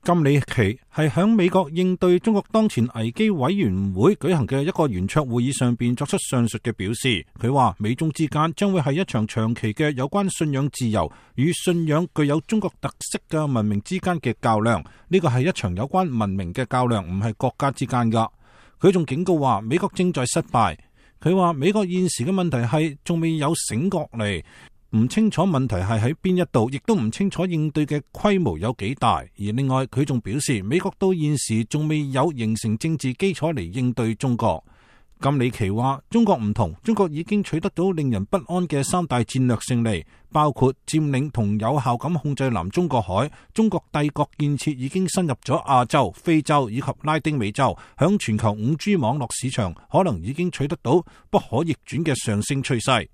金里奇係響美國應對中國當前危機委員會舉行嘅一個圓桌會議上邊作出上述嘅表示。佢話美中之間將會係一場長期嘅有關信仰自由與信仰具有中國特色嘅文明之間嘅較量。呢個係一場有關文明嘅較量，唔係國家之間噶。佢仲警告話美國正在失敗。佢話美國現時嘅問題係仲未有醒覺嚟，唔清楚問題係喺邊一度，亦都唔清楚應對嘅規模有幾大。而另外佢仲表示，美國到現時仲未有形成政治基礎嚟應對中國。金里奇話中國唔同，中國已經取得到令人不安嘅3大戰略勝利，包括佔領同有效咁控制南中國海，中國帝國建設已經深入咗亞洲、非洲以及拉丁美洲，響全球 5G 網絡市場可能已經取得到不可逆轉嘅上升趨勢。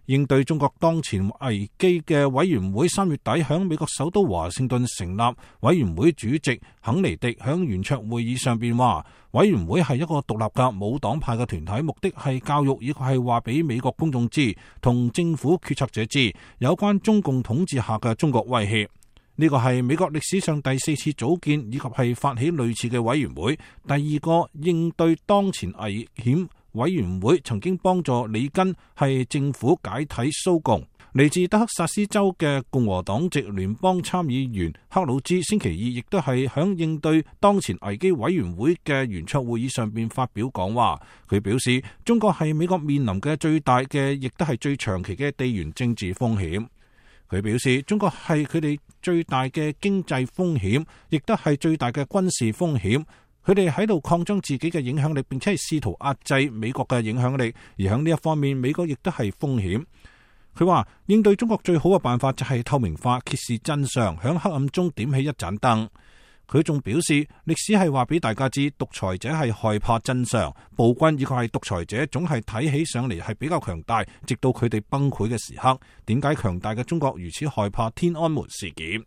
應對中國當前危機嘅委員會3月底響美國首都華盛頓成立，委員會主席肯尼迪響圓桌會議上邊話，委員會係一個獨立嘅冇黨派嘅團體，目的係教育以及係話俾美國公眾知，同政府決策者知有關中共統治下嘅中國威脅。呢個係美國歷史上第4次組建以及係發起類似嘅委員會，第2個應對當前危險委員會曾經幫助里根係政府解體蘇共。嚟自德克薩斯州嘅共和黨籍聯邦參議員克魯茲星期二亦都係響應對當前危機委員會嘅圓桌會議上邊發表講話。佢表示中國係美國面臨嘅最大嘅亦都係最長期嘅地緣政治風險。佢表示中國係佢哋最大嘅經濟風險，亦都係最大嘅軍事風險。佢哋喺度擴張自己嘅影響力，並且係試圖壓制美國嘅影響力，而喺呢一方面，美國亦都係風險。佢話應對中國最好嘅辦法就係透明化、揭示真相，響黑暗中點起一盞燈。佢仲表示歷史係話俾大家知，獨裁者係害怕真相，暴君以及係獨裁者總係睇起上嚟係比較強大，直到佢哋崩潰嘅時刻。點解強大嘅中國如此害怕天安門事件？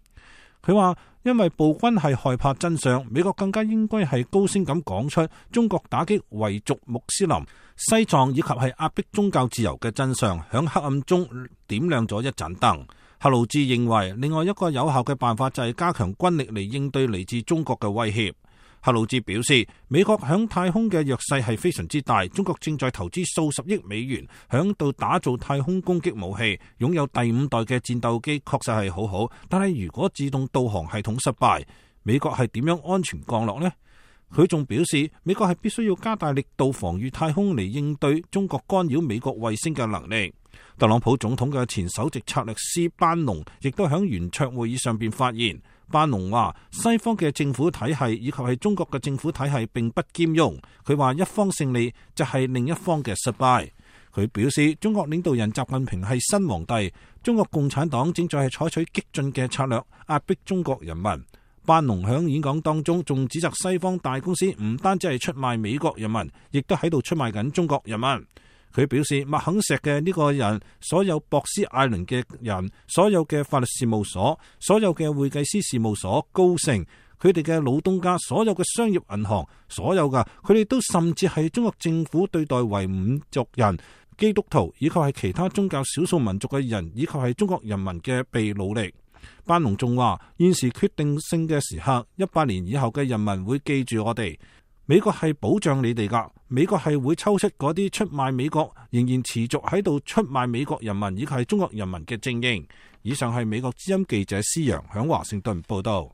佢話因為暴君係害怕真相，美國更加應該係高聲咁講出中國打擊維族穆斯林、西藏以及係壓迫宗教自由嘅真相，響黑暗中點亮咗一盞燈。克魯茲認為另外一個有效嘅辦法就係加強軍力嚟應對嚟自中國嘅威脅。克魯茲表示，美國響太空嘅弱勢係非常之大，中國正在投資數十億美元響度打造太空攻擊武器，擁有第5代嘅戰鬥機確實係好好，但係如果自動導航系統失敗，美國係點樣安全降落呢？佢仲表示，美國係必須要加大力度防禦太空嚟應對中國干擾美國衛星嘅能力。特朗普總統嘅前首席策略師班農亦都響圓桌會議上邊發言。班農話西方嘅政府體系以及係中國嘅政府體系並不兼容。佢話一方勝利就係另一方嘅失敗。佢表示中國領導人習近平係新皇帝，中國共產黨正在係採取激進嘅策略壓迫中國人民。班農響演講當中仲指責西方大公司唔單止係出賣美國人民，亦都喺度出賣緊中國人民。佢表示麥肯錫嘅呢個人，所有博斯艾倫嘅人，所有嘅法律事務所，所有嘅會計師事務所高盛，佢哋嘅老東家，所有嘅商業銀行，所有嘅佢哋都甚至係中國政府對待維吾族人、基督徒以及係其他宗教少數民族嘅人，以及係中國人民嘅被努力。班農仲話現時決定性嘅時刻，100年以後嘅人民會記住我哋。美國係保障你哋噶，美國係會抽出嗰啲出賣美國、仍然持續喺度出賣美國人民以及係中國人民嘅精英。以上係美國之音記者施洋響華盛頓報道。